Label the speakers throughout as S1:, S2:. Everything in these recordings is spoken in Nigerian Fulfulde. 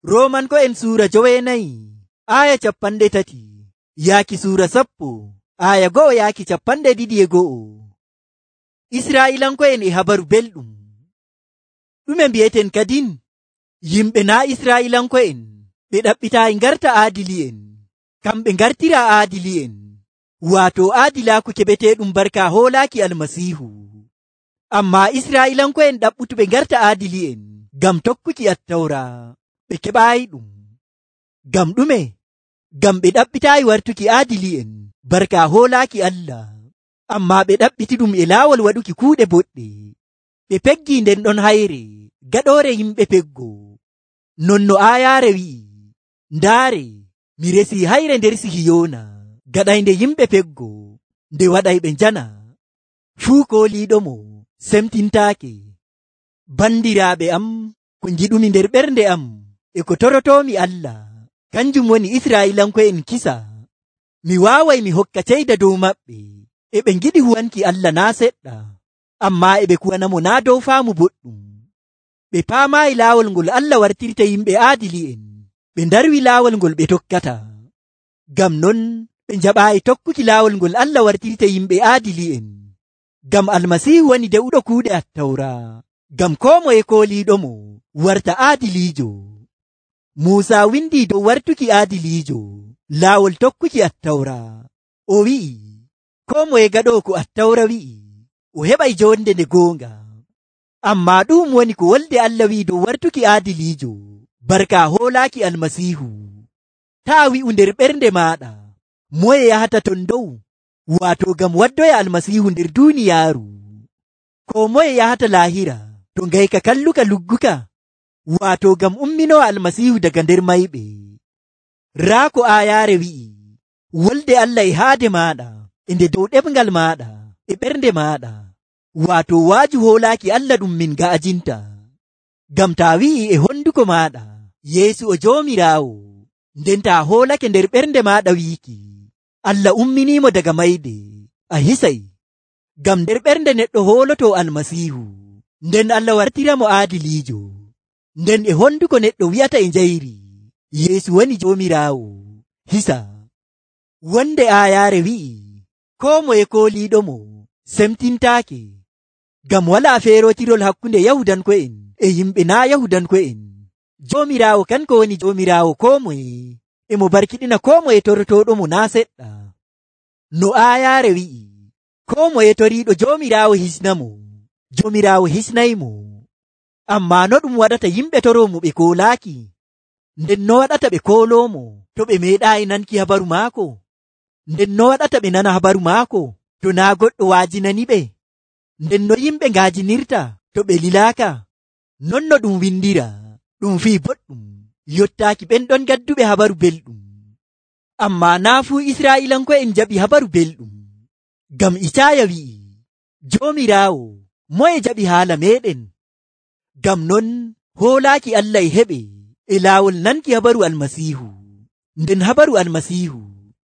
S1: Roomanko'en suura 9 yaaki suura 10 yaaki 22. Israa'iilanko'en e habaru belɗum. Ɗume mbi'eten kadin? Yimɓe naa Israa'iilanko'en ɓe ɗaɓɓitaayi ngarta aadili'en, kamɓe ngartira aadili'en, waato aadilaaku keɓeteeɗum barka hoolaaki Almasiihu. Ammaa Israa'iilanko'en ɗaɓɓutuɓe ngarta aadili'en ngam tokkuki Attawra, ɓe keɓaayiɗum. Ngam ɗume? Ngam ɓe ɗaɓɓitaayi wartuki aadili'en barka hoolaaki Allah, ammaa ɓe ɗaɓɓitiɗum e laawol waɗuki kuuɗe boɗɗe. Ɓe peggii nden ɗon hayre gaɗoore yimɓe peggo. Non no aayaare wi'i, ndaare, mi resii hayre nder Sihiyoona, gaɗaynde yimɓe peggo, nde waɗayɓe njana. Fuu kooliiɗomo semtintaake. Bandiraaɓe am, ko ngiɗumi nder ɓernde am e ko torotoomi Allah, kanjum woni Israa'iilanko'en kisa. Mi waaway mi hokka ceyda dow maɓɓe. E ɓe ngiɗi huwanki Allah naa seɗɗa, ammaa e ɓe kuwanamo naa dow faamu boɗɗum. Ɓe paamaayi laawol ngol Allah wartirta yimɓe aadili'en, ɓe ndarwi laawol ngol ɓe tokkata. Ngam non ɓe njaɓaayi tokkuki laawol ngol Allah wartirta yimɓe aadili'en. Ngam Almasiihu woni de'uɗo kuuɗe Attawra, ngam koo moye kooliiɗomo warta aadiliijo. Muusa windii dow wartuki aadiliijo laawol tokkuki Attawra. O wi'i, koo moye gaɗoo ko Attawra wi'i, o heɓay jonde nde goonga. Ammaa ɗum woni ko wolde Allah wi'i dow wartuki aadiliijo barka hoolaaki Almasiihu. Taa wi'u nder ɓernde maaɗa, moye yahata ton dow, waato ngam waddoya Almasiihu nder duuniyaaru. Ko moye yahata laahira to ngayka kalluka lugguka, waato ngam umminowa Almasiihu daga nder mayɓe. Raa ko aayaare wi'i, wolde Allah e haade maaɗa, e nde dow ɗemngal maaɗa, e ɓernde maaɗa, waato waaju hoolaaki Allah ɗum min ga'ajinta. Ngam taa wi'i e honduko maaɗa, Yeesu o Joomiraawo, nden taa hoolake nder ɓernde maaɗa wiiki, Allah umminiimo daga mayde, a hisay. Ngam nder ɓernde neɗɗo hoolotoo Almasiihu, nden Allah wartiramo aadiliijo. Nden e honduko neɗɗo wi'ata e njayri, Yeesu woni Joomiraawo, hisa. Wonde aayaare wi'i, koo moye kooliiɗomo semtintaake. Ngam walaa feerotirol hakkunde Yahudanko'en e yimɓe naa Yahudanko'en. Joomiraawo kanko woni Joomiraawo koo moye, e mo barkiɗina koo moye torotooɗomo naa seɗɗa. No aayaare wi'i, koo moye toriiɗo Joomiraawo hisnamo, Joomiraawo hisnaymo. Ammaa no ɗum waɗata yimɓe toroomo ɓe koolaaki? Nden no waɗata ɓe kooloomo to ɓe meeɗaayi nanki habaru maako? Nden no waɗata ɓe nana habaru maako to naa goɗɗo waajinaniɓe? Nden no yimɓe ngaajinirta to ɓe lilaaka? Non no ɗum windira, ɗum fii boɗɗum yottaaki ɓen ɗon gadduɓe habaru belɗum. Ammaa naa fuu Israa'iilanko'en jaɓi habaru belɗum. Ngam Icaaya wi'i, Joomiraawo, moye jaɓi haala meeɗen? Ngam non hoolaaki Allah e heɓe e laawol nanki habaru Almasiihu. Nden habaru Almasiihu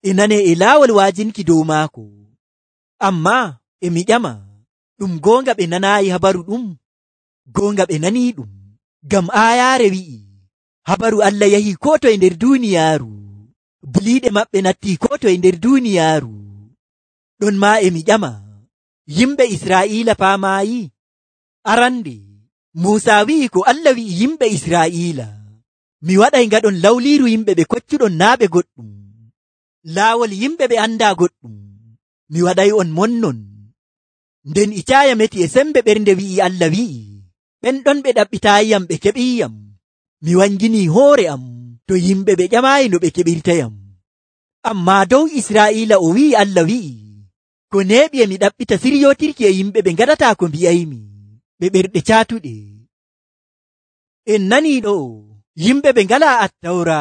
S1: e nanee e laawol waajinki dow maako. Ammaa e mi ƴama, ɗum goonga ɓe nanaayi habaru ɗum? Goonga ɓe nanii ɗum, ngam aayaare wi'i, habaru Allah yahii koo toye nder duuniyaaru, buliiɗe maɓɓe nattii koo toye nder duuniyaaru. Ɗon maa e mi ƴama, yimɓe Israa'iila paamaayi? Arande, Muusa wi'i ko Allah wi'i yimɓe Israa'iila, mi waɗay ngaɗon lawliiru yimɓe ɓe koccuɗon naa ɓe goɗɗum, laawol yimɓe ɓe andaa goɗɗum, mi waɗay on monnon. Nden Icaaya meti e sembe ɓernde wi'i Allah wi'i, ɓen ɗon ɓe ɗaɓɓitaayiyam ɓe keɓiiyam, mi wanginii hoore am to yimɓe ɓe ƴamaayi no ɓe keɓirtayam. Ammaa dow Israa'iila o wi'i Allah wi'i, ko neeɓi e mi ɗaɓɓita siryootirki e yimɓe ɓe ngaɗataa ko mbi'aymi, ɓe ɓerɗe caatuɗe. En nanii ɗo, yimɓe ɓe ngalaa Attawra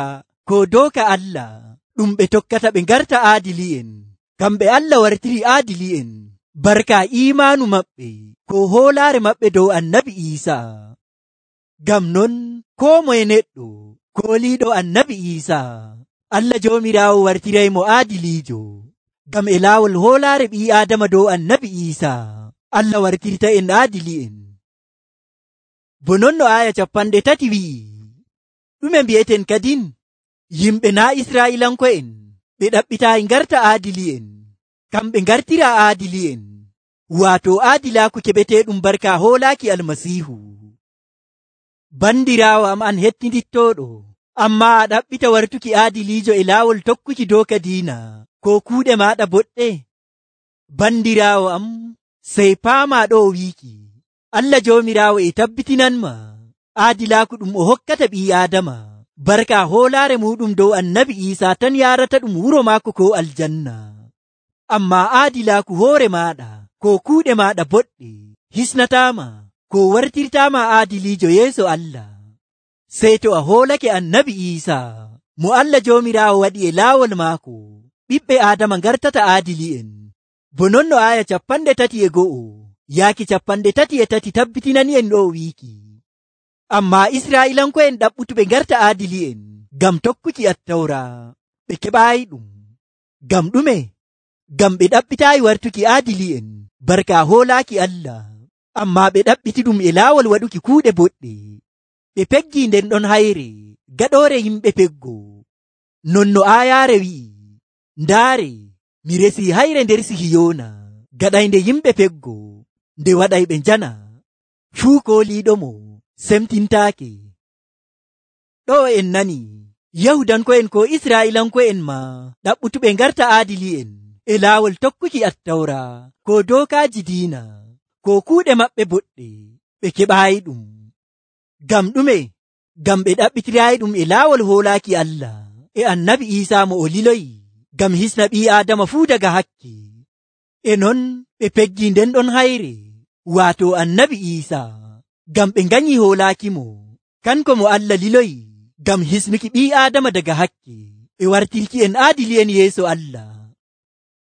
S1: ko dooka Allah ɗum ɓe tokkata ɓe ngarta aadili'en, kamɓe Allah wartiri aadili'en barka iimaanu maɓɓe ko hoolaare maɓɓe dow Annabi Iisaa. Ngam non koo moye neɗɗo kooliiɗo Annabi Iisaa, Allah Joomiraawo wartiraymo aadiliijo. Ngam e laawol hoolaare ɓii Aadama dow Annabi Iisaa, Allah wartirta en aadili'en. Bo non no aaya 30 wi'i, ɗume mbi'eten kadin? Yimɓe naa Israa'iilanko'en ɓe ɗaɓɓitaayi ngarta aadili'en, kamɓe ngartira aadili'en, waato aadilaaku keɓeteeɗum barka hoolaaki Almasiihu. Bandiraawo am an hettindittooɗo, ammaa a ɗaɓɓita wartuki aadiliijo e laawol tokkuki dooka diina ko kuuɗe maaɗa boɗɗe. Bandiraawo am, sey paamaa ɗo wiiki, Allah Joomiraawo e tabbitinanma aadilaaku ɗum o hokkata ɓii Aadama barka hoolaare muɗum dow Annabi Iisaa tan yaarata ɗum wuro maako ko aljanna. Ammaa aadilaaku hoore maaɗa ko kuuɗe maaɗa boɗɗe hisnataama ko wartirtaama aadiliijo yeeso Allah. Sey to a hoolake Annabi Iisaa mo Allah Joomiraawo waɗi e laawol maako, ɓiɓɓe Aadama ngartata aadili'en. Bo non no aaya 31 yaaki 33 tabbitinani'en ɗo wiiki. Ammaa Israa'iilanko'en ɗaɓɓutuɓe ngarta aadili'en ngam tokkuki Attawra, ɓe keɓaayi ɗum. Ngam ɗume? Ngam ɓe ɗaɓɓitaayi wartuki aadili'en barka hoolaaki Allah, ammaa ɓe ɗaɓɓiti ɗum e laawol waɗuki kuuɗe boɗɗe. Ɓe peggii nden ɗon hayre gaɗoore yimɓe peggo. Non no aayaare wi'i, ndaare, mi resii hayre nder Sihiyoona, gaɗaynde yimɓe peggo, nde waɗayɓe njana. Fuu kooliiɗomo semtintaake. Ɗo en nani, Yahudanko'en ko Israa'iilanko'en maa ɗaɓɓutuɓe ngarta aadili'en e laawol tokkuki Attawra ko dookaaji diina ko kuuɗe maɓɓe boɗɗe, ɓe keɓaayi ɗum. Ngam ɗume? Ngam ɓe ɗaɓɓitiraayi ɗum e laawol hoolaaki Allah e Annabi Iisaa mo o liloyi ngam hisna ɓii Aadama fuu daga hakke. E non ɓe peggii nden ɗon hayre, waato Annabi Iisaa, ngam ɓe nganyi hoolaakimo, kanko mo Allah liloyi ngam hisnuki ɓii Aadama daga hakke e wartirki en aadili'en yeeso Allah.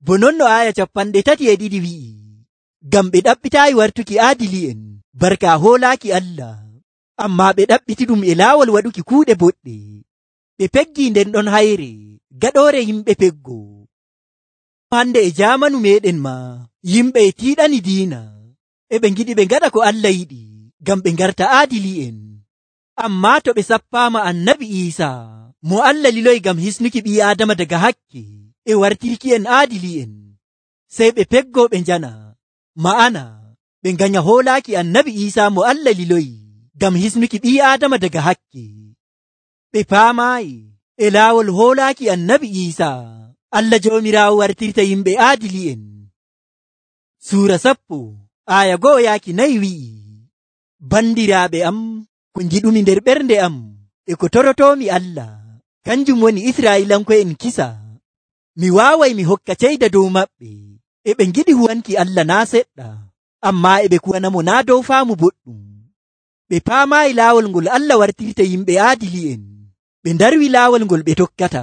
S1: Bo non no aaya 32 wi'i, ngam ɓe ɗaɓɓitaayi wartuki aadili'en barka hoolaaki Allah, ammaa ɓe ɗaɓɓiti ɗum e laawol waɗuki kuuɗe boɗɗe. Ɓe peggii nden ɗon hayre gaɗoore yimɓe peggo. Hande e jaamanu meɗen maa, yimɓe e tiiɗani diina, e ɓe ngiɗi ɓe ngaɗa ko Allah yiɗi ngam ɓe ngarta aadili'en. Ammaa to ɓe sappaama Annabi Iisaa mo Allah liloyi ngam hisnuki ɓii Aadama daga hakke e wartirki en aadili'en, sey ɓe peggo ɓe njana, ma'ana ɓe nganya hoolaaki Annabi Iisaa mo Allah liloyi ngam hisnuki ɓii Aadama daga hakke. Ɓe paamaayi e laawol hoolaaki Annabi Iisaa Allah Joomiraawo wartirta yimɓe aadili'en. Suura 10 aaya 1-4 wi'i, bandiraaɓe am, ko ngiɗumi nder ɓernde am e ko torotoomi Allah, kanjum woni Israa'iilanko'en kisa. Mi waaway mi hokka ceyda dow maɓɓe, e ɓe ngiɗi huwanki Allah naa seɗɗa, ammaa e ɓe kuwanamo naa dow faamu boɗɗum. Ɓe paamaayi laawol ngol Allah wartirta yimɓe aadili'en, ɓe ndarwi laawol ngol ɓe tokkata.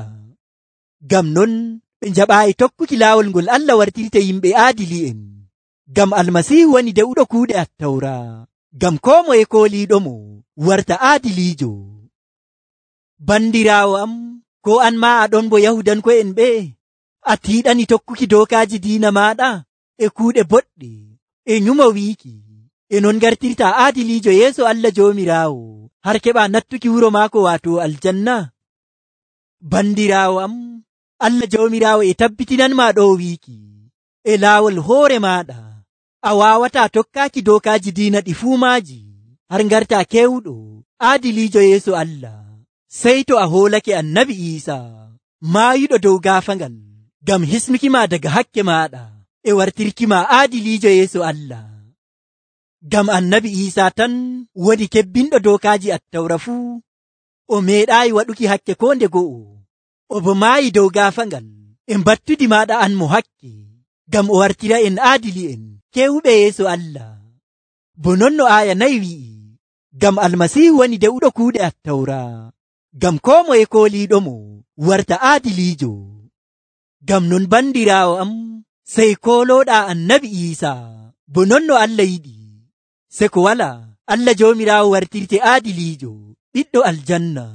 S1: Ngam non ɓe njaɓaayi tokkuki laawol ngol Allah wartirta yimɓe aadili'en, ngam Almasiihu woni dewɗo kuuɗe Attawra, ngam koo moye kooliiɗomo warta aadiliijo. Bandiraawo am, ko an maa aɗon bo Yahudanko'en ɓe, a tiiɗani tokkuki dookaaji diina maaɗa e kuuɗe boɗɗe e nyumo wiiki, e non ngartirta aadiliijo yeeso Allah Joomiraawo har keɓa nattuki wuro maako waato aljanna. Bandiraawo am, Allah Joomiraawo e tabbitinanma ɗo wiiki, e laawol hoore maaɗa a waawataa tokkaaki dookaaji diina ɗi fuu maaji har ngarta kewɗo aadiliijo yeeso Allah, sey to a hoolake Annabi Iisaa maayuɗo dow gaafangal ngam hisnukima daga hakke maaɗa e wartirkima aadiliijo yeeso Allah. Ngam Annabi Iisaa tan woni kebbinɗo dookaaji Attawra fuu, o meeɗaayi waɗuki hakke ko nde go'o, o bo maayi dow gaafangal e mbattudi maaɗa an mo hakke, ngam o wartira en aadili'en kewuɓe yeeso Allah. Bo non no aaya 4 wi'i, ngam Almasiihu woni dewɗo kuuɗe Attawra, ngam koo moye kooliiɗomo warta aadiliijo. Ngam non bandiraawo am, sey koolooɗaa Annabi Iisaa, bo non no Allah yiɗi, se ko walaa Allah Joomiraawo wartirte aadiliijo, ɓiɗɗo aljanna.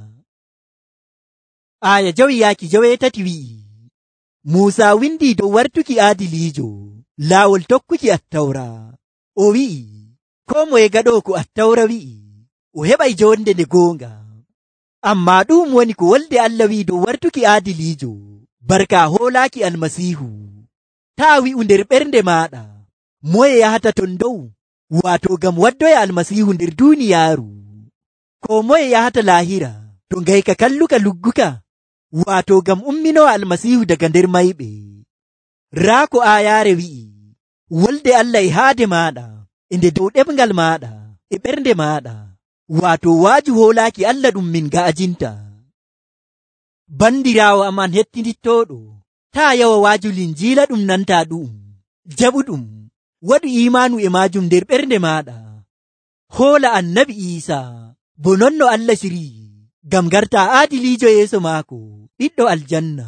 S1: Aaya 5-7 wi'i, Muusaa windi dow wartuki aadiliijo laawol tokkuki Attawra. O wi'i, koo moye gaɗoo ko Attawra wi'i, o heɓay jonde nde goonga. Ammaa ɗum woni ko wolde Allah wi'i dow wartuki aadiliijo barka hoolaaki almasiihu. Taa wi'u nder ɓernde maaɗa moye yahata ton dow, waato ngam waddoya almasiihu nder duuniyaaru. Ko moye yahata laahira to ngayka kalluka lugguka, waato ngam umminowa almasiihu daga nder mayɓe. Raa ko aayaare wi'i, wolde Allah e haade maaɗa, e nde dow ɗemngal maaɗa, e ɓernde maaɗa, waato waaju hoolaaki Allah ɗum min ga'ajinta. Bandiraawo am an hettindittooɗo, taa yawa waaju linjiila ɗum nanta ɗum, jaɓuɗum, waɗu imaanu e maajum nder ɓernde maaɗa. Hoola annabi Iisaa, bo non no Allah sirii, ngam garta aadiliijo yeeso maako, ɓiɗɗo aljanna.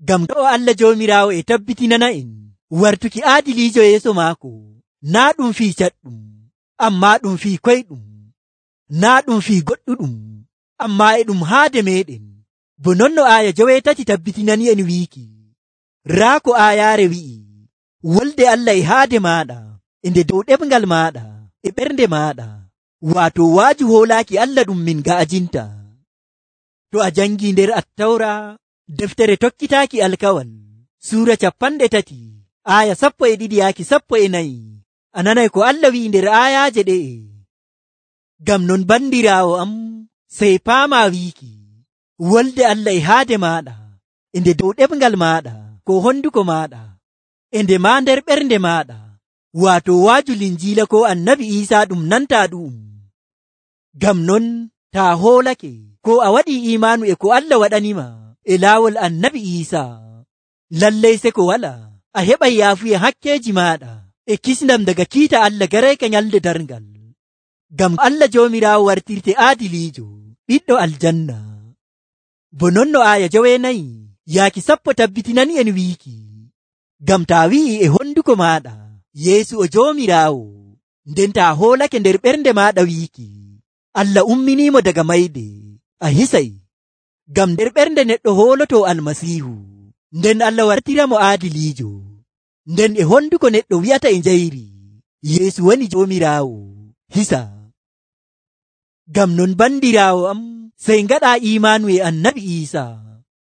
S1: Ngam ɗo Allah Joomiraawo e tabbitinana en wartuki aadiliijo yeeso maako, naa ɗum fii caɗɗum, ammaa ɗum fii koyɗum, naa ɗum fii goɗɗuɗum, ammaa e ɗum haade meeɗen, bo non no aaya 8 tabbitinani en wiiki. Raa ko aayaare wi'i, wolde Allah e haade maaɗa, e nde dow ɗemngal maaɗa, e ɓernde maaɗa, waato waaju hoolaaki Allah ɗum min ga'ajinta. To a jangii nder Attawra, deftere tokkitaaki alkawal, suura 30, aaya 12 yaaki 14, a nanay ko Allah wi'i nder aayaaje ɗe'e. Ngam non bandiraawo am, sey paamaa wiiki, wolde Allah e haade maaɗa, e nde dow ɗemngal maaɗa, ko honduko maaɗa, e nde maa nder ɓernde maaɗa, waato waaju linjiila ko annabi Iisaa ɗum nanta ɗum. Ngam non taa hoolake ko a waɗii imaanu e ko Allah waɗanima e laawol annabi Iisaa, lallay se ko wala a heɓay yaafuya hakkeeji maaɗa e kisndam daga kiita Allah garayka nyalde darngal. Ngam Allah Joomiraawo wartirte aadiliijo, ɓiɗɗo aljanna. Bo non no aaya 9 yaaki 10 tabbitinani en wiiki, ngam taa wi'i e honduko maaɗa, Yeesu o Joomiraawo, nden taa hoolake nder ɓernde maaɗa wiiki, Allah umminiimo daga mayde, a hisay. Ngam nder ɓernde neɗɗo hooloto almasiihu, nden Allah wartiramo aadiliijo, nden e honduko neɗɗo wi'ata e njayri, Yeesu woni Joomiraawo, hisa. Ngam non bandiraawo am, sey ngaɗaa imaanu e annabi Iisaa,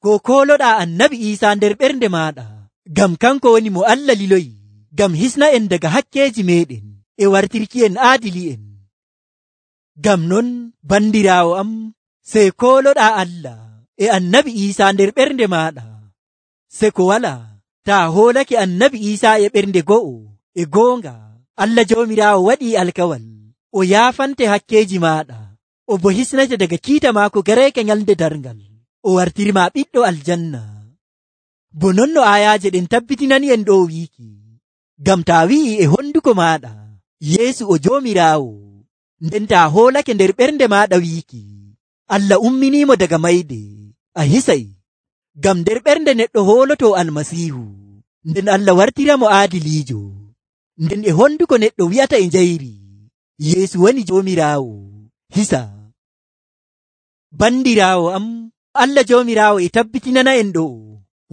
S1: ko kooloɗaa annabi Iisaa nder ɓernde maaɗa, ngam kanko woni mo Allah liloyi, ngam hisna en daga hakkeeji meeɗen e wartirki en aadili'en. Ngam non bandiraawo am, sey kooloɗaa Allah e annabi Iisaa nder ɓernde maaɗa, se ko wala taa hoolake annabi Iisaa e ɓernde go'o e goonga. Allah Joomiraawo waɗii alkawal, o yaafante hakkeeji maaɗa, o bo hisnete daga kiita maako garayka nyalde darngal, o wartirma ɓiɗɗo aljanna. Bo non no aayaaje ɗen tabbitinani en ɗo wiiki, ngam taa wi'i e honduko maaɗa, Yeesu o Joomiraawo, nden taa hoolake nder ɓernde maaɗa wiiki, Allah umminiimo daga mayde, a hisay. Ngam nder ɓernde neɗɗo hooloto almasiihu, nden Allah wartiramo aadiliijo, nden e honduko neɗɗo wi'ata e njayri, Yeesu woni Joomiraawo, hisa. Bandiraawo am, Allah Joomiraawo e tabbitinana en ɗo,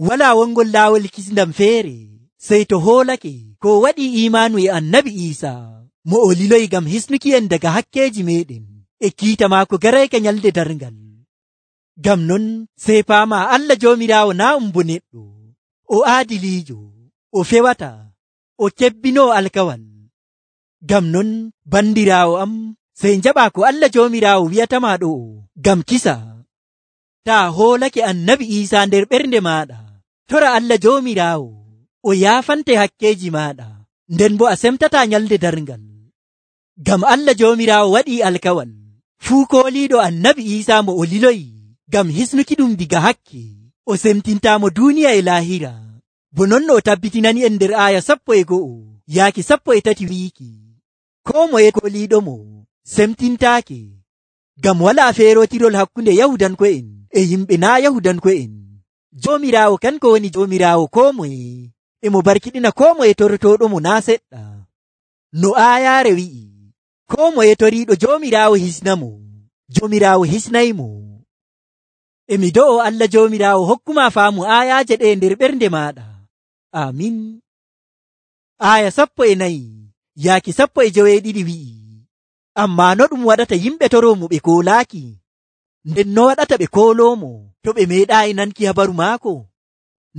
S1: walaa wongol laawol kisndam feere, sey to hoolake ko waɗii imaanu e annabi Iisaa, mo o liloyi ngam hisnuki en daga hakkeeji meeɗen e kiita maako garayka nyalde darngal. Ngam non sey paamaa Allah Joomiraawo naa bo neɗɗo, o aadiliijo, o fewata, o kebbinoo alkawal. Ngam non bandiraawo am, sey njaɓaa ko Allah Joomiraawo wi'atama ɗo, ngam kisa. Taa hoolake annabi Iisaa nder ɓernde maaɗa, tora Allah Joomiraawo, o yaafante hakkeeji maaɗa, nden bo a semtataa nyalde darngal. Ngam Allah Joomiraawo waɗii alkawal, fuu kooliiɗo annabi Iisaa mo o liloyi ngam hisnuki ɗum diga hakke, o semtintaamo duuniya e laahira. Bo non no o tabbitinani en nder aaya 11 yaaki 13 wiiki, koo moye kooliiɗomo semtintaake, ngam walaa feerotirol hakkunde Yahudanko'en e yimɓe naa Yahudanko'en. Joomiraawo kanko woni Joomiraawo koo moye, e mo barkiɗina koo moye torotooɗomo naa seɗɗa. No aayaare wi'i, koo moye toriiɗo Joomiraawo hisnamo, Joomiraawo hisnaymo. E mi do'o Allah Joomiraawo hokkuma faamu aayaaje ɗe nder ɓernde maaɗa. Amin. Aaya 14 yaaki 12 wi'i, ammaa no ɗum waɗata yimɓe toroomo ɓe koolaaki? nden no waɗata ɓe kooloomo to ɓe meeɗaayi nanki habaru maako?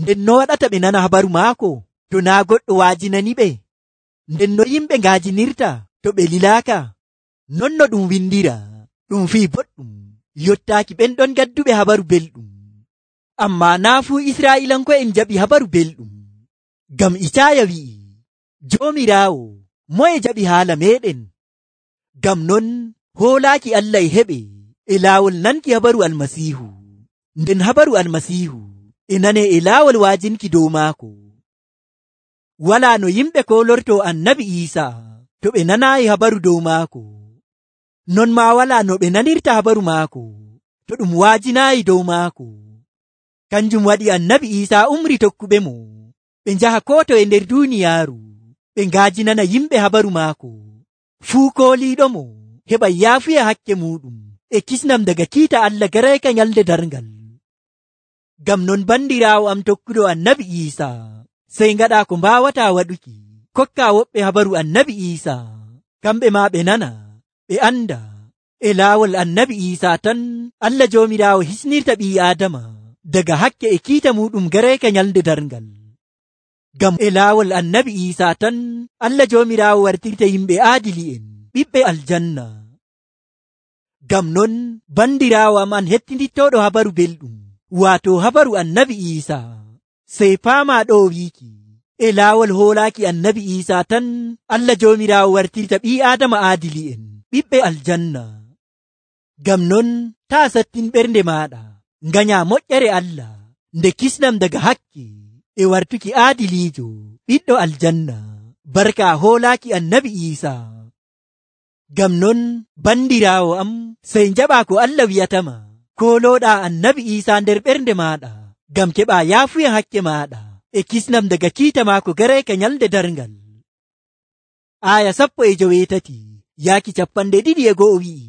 S1: Nden no waɗata ɓe nana habaru maako to naa goɗɗo waajinani ɓe? Nden no yimɓe ngaajinirta to ɓe lilaaka? Non no ɗum windira, ɗum fii boɗɗum yottaaki ɓen ɗon gadduɓe habaru belɗum. Ammaa naa fuu Israa'iilanko'en jaɓi habaru belɗum. Ngam Icaaya wi'i, Joomiraawo, moye jaɓi haala meeɗen? Ngam non hoolaaki Allah e heɓe e laawol nanki habaru Almasiihu. Nden habaru Almasiihu e nanee e laawol waajinki dow maako. Walaa no yimɓe koolortoo Annabi Iisaa to ɓe nanaayi habaru dow maako. Non maa walaa no ɓe nanirta habaru maako to ɗum waajinaayi dow maako. Kanjum waɗi Annabi Iisaa umri tokkuɓe mo ɓe njaha koo to e nder duuniyaaru ɓe ngaajinana yimɓe habaru maako. Fuu kooliiɗo mo heɓay yaafuya hakke muuɗum e kisnam daga kiita Allah garayka nyalde darngal. Ngam non bandiraawo am tokkuɗo Annabi Iisaa, sey ngaɗaa ko mbaawataa waɗuki, kokkaa woɓɓe habaru Annabi Iisaa, kamɓe maa ɓe nana, ɓe anda e laawol Annabi Iisaa tan Allah Joomiraawo hisnirta ɓii Aadama daga hakke e kiita muuɗum garayka nyalde darngal. Ngam e laawol Annabi Iisaa tan Allah Joomiraawo wartirta yimɓe aadili'en ɓiɓɓe aljanna. Ngam non bandiraawo am an hettindittooɗo habaru belɗum, waato habaru Annabi Iisaa, sey paamaa ɗo wiiki e laawol hoolaaki Annabi Iisaa tan Allah Joomiraawo wartirta ɓii Aadama aadili'en ɓiɓɓe aljanna. Ngam non taa sattin ɓernde maaɗa, nganyaa moƴƴere Allah nde kisnam daga hakke e wartuki aadiliijo ɓiɗɗo aljanna barka hoolaaki Annabi Iisaa. Ngam non bandiraawo am, sey njaɓaa ko Allah wi'atama, koolooɗaa Annabi Iisaa nder ɓernde maaɗa ngam keɓaa yaafuya hakke maaɗa e kisnam daga kiita maako garayka nyalde darngal. Aaya 18 yaaki 22 wi'i,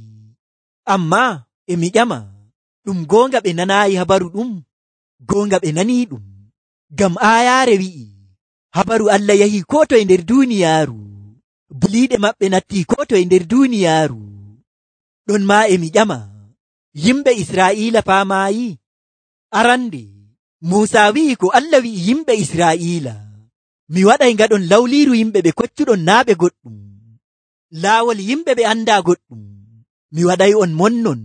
S1: ammaa e mi ƴama, ɗum goonga ɓe nanaayi habaru ɗum? Goonga ɓe nanii ɗum. Ngam aayaare wi'i, habaru Allah yahii koo to e nder duuniyaaru, buliiɗe maɓɓe nattii koo to e nder duuniyaaru. Ɗon maa e mi ƴama, yimɓe Israa'iila paamaayi? Arande Muusaa wi'i ko Allah wi'i yimɓe Israa'iila, mi waɗay ngaɗon lawliiru yimɓe ɓe koccuɗon naa ɓe goɗɗum, laawol yimɓe ɓe andaa goɗɗum, mi waɗay on monnon.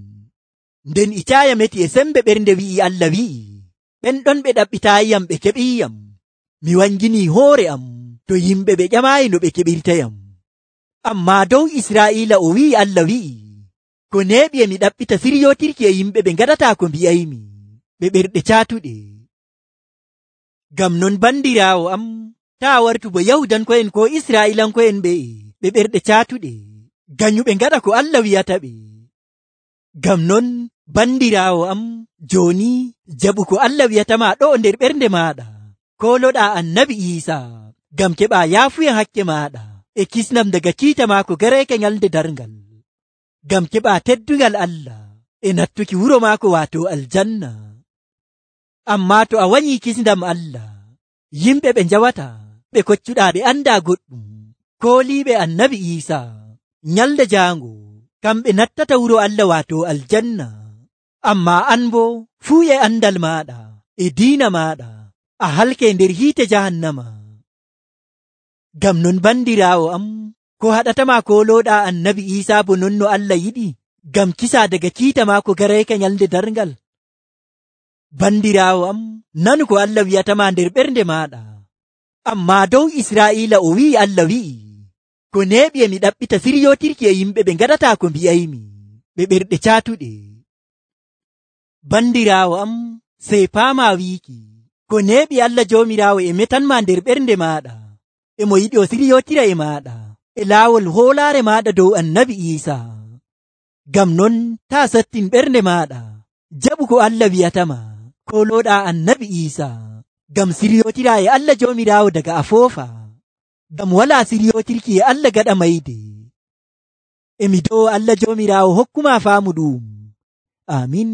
S1: Nden Icaaya meti e sembe ɓernde wi'i Allah wi'i, ɓen ɗon ɓe ɗaɓɓitaayiyam ɓe keɓiiyam, mi wanginii hoore am to yimɓe ɓe ƴamaayi no ɓe keɓirtayam. Ammaa dow Israa'iila o wi'i Allah wi'i, ko neeɓi e mi ɗaɓɓita siryootirki e yimɓe ɓe ngaɗataa ko mbi'aymi, ɓe ɓerɗe caatuɗe. Ngam non bandiraawo am, taa wartu bo Yahudanko'en ko Israa'iilanko'en ɓe ɓerɗe caatuɗe, ganyuɓe ngaɗa ko Allah wi'ata ɓe. Ngam non bandiraawo am, jooni jaɓu ko Allah wi'atama ɗo nder ɓernde maaɗa, kooloɗaa Annabi Iisaa ngam keɓaa yaafuya hakke maaɗa e kisnam daga kiita maako garayka nyalde darngal, ngam keɓaa teddungal Allah e nattuki wuro maako waato aljanna. Ammaa to a wanyii kisndam Allah, yimɓe ɓe njawata ɓe koccuɗaa ɓe andaa goɗɗum, kooliiɓe Annabi Iisaa, nyalde jaango kamɓe nattata wuro Allah waato aljanna. Ammaa an boo fuu e andal maaɗa e diina maaɗa a halke nder hiite jahannama. Ngam non bandiraawo am, ko haɗatama koolooɗaa Annabi Iisaa bo non no Allah yiɗi, ngam kisa daga kiita maako garayka nyalde darngal? Bandiraawo am, nanu ko Allah wi'atama nder ɓernde maaɗa. Ammaa dow Israa'iila o wi'i Allah wi'i, ko neeɓi e mi ɗaɓɓita siryootirki e yimɓe ɓe ngaɗataa ko mbi'aymi, ɓe ɓerɗe caatuɗe. Bandiraawo am, sey paamaa wiiki, ko neeɓi Allah Joomiraawo e metanma nder ɓernde maaɗa, e mo yiɗi o siryootira e maaɗa e laawol hoolaare maaɗa dow Annabi Iisaa. Ngam non taa sattin ɓernde maaɗa, jaɓu ko Allah wi'atama, koolooɗaa Annabi Iisaa, ngam siryootira e Allah Joomiraawo daga a foofa, ngam walaa siryootirki e Allah gaɗa mayde. E mi dow Allah Joomiraawo hokkuma faamu ɗum. Amin.